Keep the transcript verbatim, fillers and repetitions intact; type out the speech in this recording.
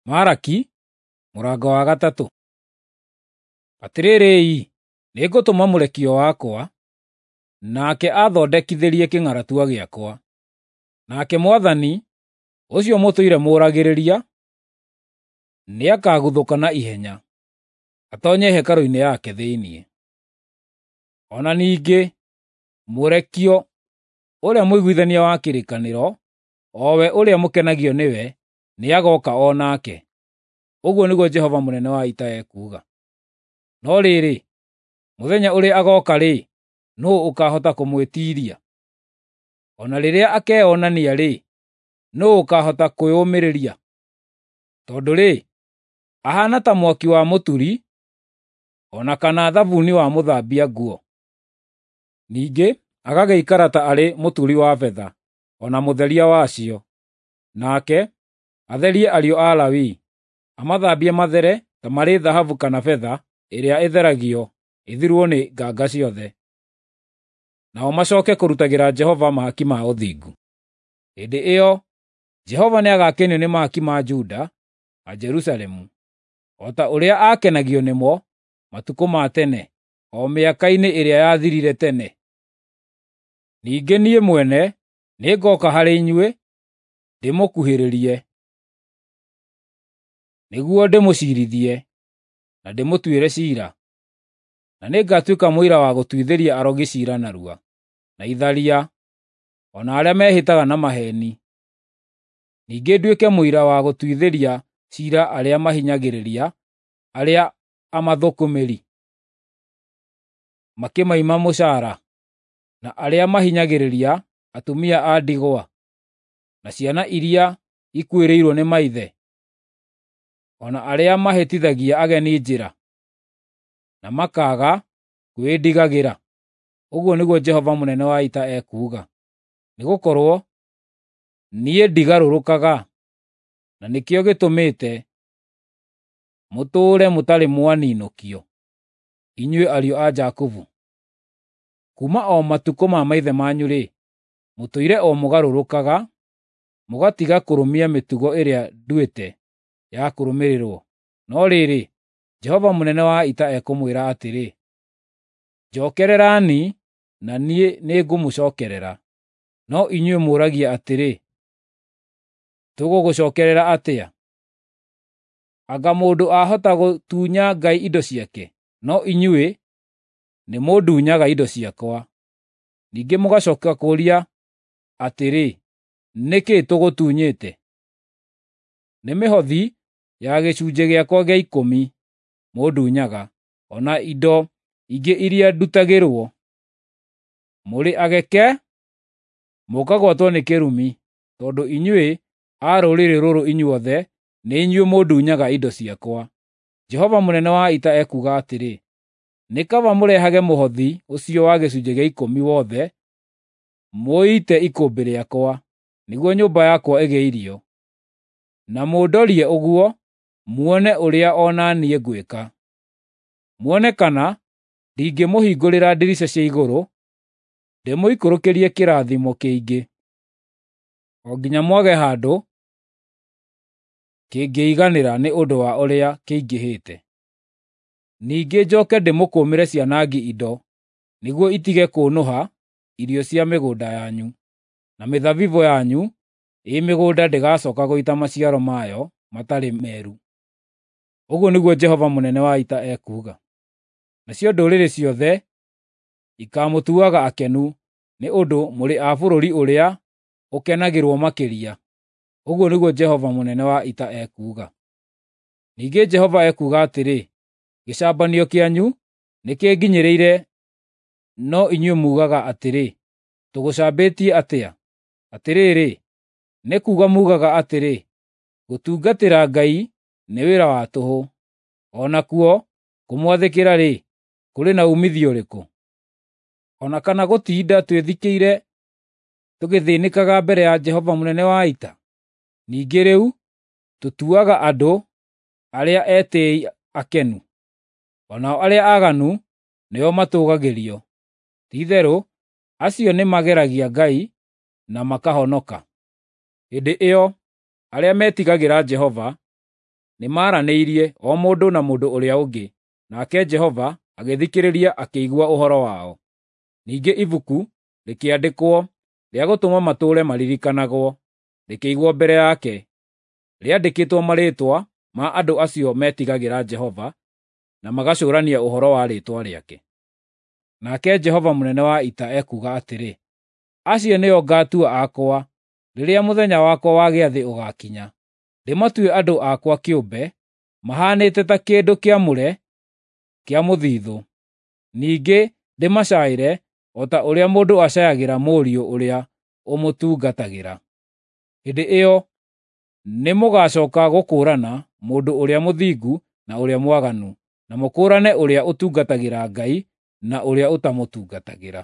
Maraki mũrango wa gatatũ. Atĩrĩrĩ-i, nĩngũtũma mũrekio wakwa, nake aathondekithĩrie kĩng'aratua gĩakwa. Nake Mwathani, ũcio mũtũire mũũragĩrĩria, nĩakaguthũka na ihenya, atoonye hekarũ-inĩ yake thĩinĩ. O na ningĩ mũrekio ũrĩa mũiguithania wa kĩrĩkanĩro, o we ũrĩa mũkenagio nĩwe, nĩagooka o nake. Ũguo nĩguo Jehova mũnene wa ita ekuuga. No rĩrĩ, mũthenya ũrĩa agooka-rĩ, nũũ ũkaahota kũmwĩtiiria? O na rĩrĩa akeyonania-rĩ, nũũ ũkaahota kwĩyũmĩrĩria? Tondũ-rĩ, ahaana ta mwaki wa mũturi, o na kana thabuni wa mũthambia nguo. Ningĩ agagĩikara ta arĩ mũturi wa betha, o na mũtheria wacio. Nake atherie ariũ a Lawi, amathambie mathere ta marĩ thahabu kana betha ĩrĩa ĩtheragio ĩthirwo nĩ nganga ciothe. Nao macooke kũrutagĩra Jehova mahaki ma ũthingu. Hĩndĩ ĩyo Jehova nĩagakenio nĩ mahaki ma Juda na Jerusalemu, o ta ũrĩa aakenagio nĩmo matukũ ma tene, o mĩaka-inĩ ĩrĩa yathirire tene. Ningĩ niĩ mwene nĩngooka harĩ inyuĩ ndĩmũkuhĩrĩrie, nĩguo ndĩmũciirithie na ndĩmũtuĩre ciira, na nĩngatuĩka mũira wa gũtuithĩria arogi ciira narua, na itharia, o na arĩa mehĩtaga na maheeni. Ningĩ nduĩke mũira wa gũtuithĩria ciira arĩa mahinyagĩrĩria arĩa amathũkũmĩri, makĩmaima mũcaara, na arĩa mahinyagĩrĩria atumia a ndigwa, na ciana iria ikuĩrĩirwo nĩ maithe, o na arĩa mahĩtithagia ageni njĩra, na makaaga kwĩndigagĩra. Ũguo nĩguo Jehova mũnene wa ita ekuuga. Nĩgũkorwo niĩ ndigarũrũkaga, na nĩkĩo gĩtũmĩte mũtũũre mũtarĩ mwaninũkio, inyuĩ ariũ a Jakubu. Kuuma o matukũ ma maithe manyu-rĩ, mũtũire o mũgarũrũkaga, mũgatiga kũrũmia mĩtugo ĩrĩa nduĩte ya kũrũmĩrĩrwo. No rĩrĩ, Jehova mũnene wa ita ekũmwĩra atĩrĩ, “Njookererani, na niĩ nĩngũmũcookerera.” No inyuĩ mũũragia atĩrĩ, “Tũgũgũcookerera atĩa?” Anga mũndũ ahota gũtunya Ngai indo ciake? No inyuĩ nĩmũndunyaga indo ciakwa. Ningĩ mũgacooka kũũria atĩrĩ, “Nĩ kĩĩ tũgũtunyĩte?” Nĩ mĩhothi ya gĩcunjĩ gĩakwa gĩa ikũmi mũndunyaga, o na indo ingĩ iria ndutagĩrwo. Mũrĩ ageke, mũkagwatwo nĩ kĩrumi, tondũ inyuĩ a rũrĩrĩ rũrũ inyuothe nĩ inyuĩ mũndunyaga indo ciakwa. Jehova mũnene wa ita ekuuga atĩrĩ, nĩ kaba mũrehage mũhothi ũcio wa gĩcunjĩ gĩa ikũmi wothe mũũite ikũmbĩ rĩakwa, nĩguo nyũmba yakwa ĩgĩe irio. Na mũndorie ũguo muone ũrĩa o na niĩ ngwĩka. Muone kana ndingĩmũhingũrĩra ndirica cia igũrũ, ndĩmũikũrũkĩrie kĩrathimo kĩingĩ, o nginya mwage handũ kĩngĩiganĩra nĩ ũndũ wa ũrĩa kĩingĩhĩte. Ningĩ njooke ndĩmũkũmĩre cianangi indo, nĩguo itige kũũnũha irio cia mĩgũnda yanyu, na mĩthabibũ yanyu ĩ mĩgũnda ndĩgacooka gũita maciaro mayo matarĩ meru. Ũguo nĩguo Jehova mũnene wa ita ekuuga. Nacio ndũrĩrĩ ciothe ikaamũtuaga akenu nĩ ũndũ mũrĩ a bũrũri ũrĩa ũkenagĩrwo makĩria. Ũguo nĩguo Jehova mũnene wa ita ekuuga. Ningĩ Jehova ekuuga atĩrĩ, gĩcambanio kĩanyu nĩkĩnginyĩrĩire, no inyuĩ muugaga atĩrĩ, “Tũgũcambĩtie atĩa?” Atĩrĩrĩ, nĩ kuuga muugaga atĩrĩ, “Gũtungatĩra Ngai nĩ wĩra wa tũhũ, o nakuo kũmwathĩkĩra-rĩ, kũrĩ na uumithio ũrĩkũ? O na kana gũtinda twĩthikĩire tũgĩthĩnĩkaga mbere ya Jehova mũnene wa ita? Ningĩ rĩu tũtuaga andũ arĩa etĩĩi akenu, o nao arĩa aaganu nĩo matũũgagĩrio. Ti-itherũ acio nĩmageragia Ngai na makahonoka. Hĩndĩ ĩyo arĩa metigagĩra Jehova Nĩmaranĩirie o mũndũ na mũndũ ũrĩa ũngĩ, nake Jehova agĩthikĩrĩria akĩigua ũhoro wao. Ningĩ ibuku rĩkĩandĩkwo rĩa gũtũma matũũre maririkanagwo, rĩkĩigwo mbere yake, rĩandĩkĩtwo marĩĩtwa ma andũ acio metigagĩra Jehova na magacũũrania ũhoro wa rĩĩtwa rĩake. Nake Jehova mũnene wa ita ekuuga atĩrĩ, “Acio nĩo ngatua akwa rĩrĩa mũthenya wakwa wa gĩathĩ ũgaakinya, ndĩmatue andũ akwa kĩũmbe, mahaanĩte ta kĩndũ kĩamũre kĩa mũthithũ. Ningĩ ndĩmacaĩre o ta ũrĩa mũndũ acayagĩra mũriũ ũrĩa ũmũtungatagĩra. Hĩndĩ ĩyo nĩmũgacooka gũkũũrana mũndũ ũrĩa mũthingu na ũrĩa mwaganu, na mũkũũrane ũrĩa ũtungatagĩra Ngai na ũrĩa ũtamũtungatagĩra.”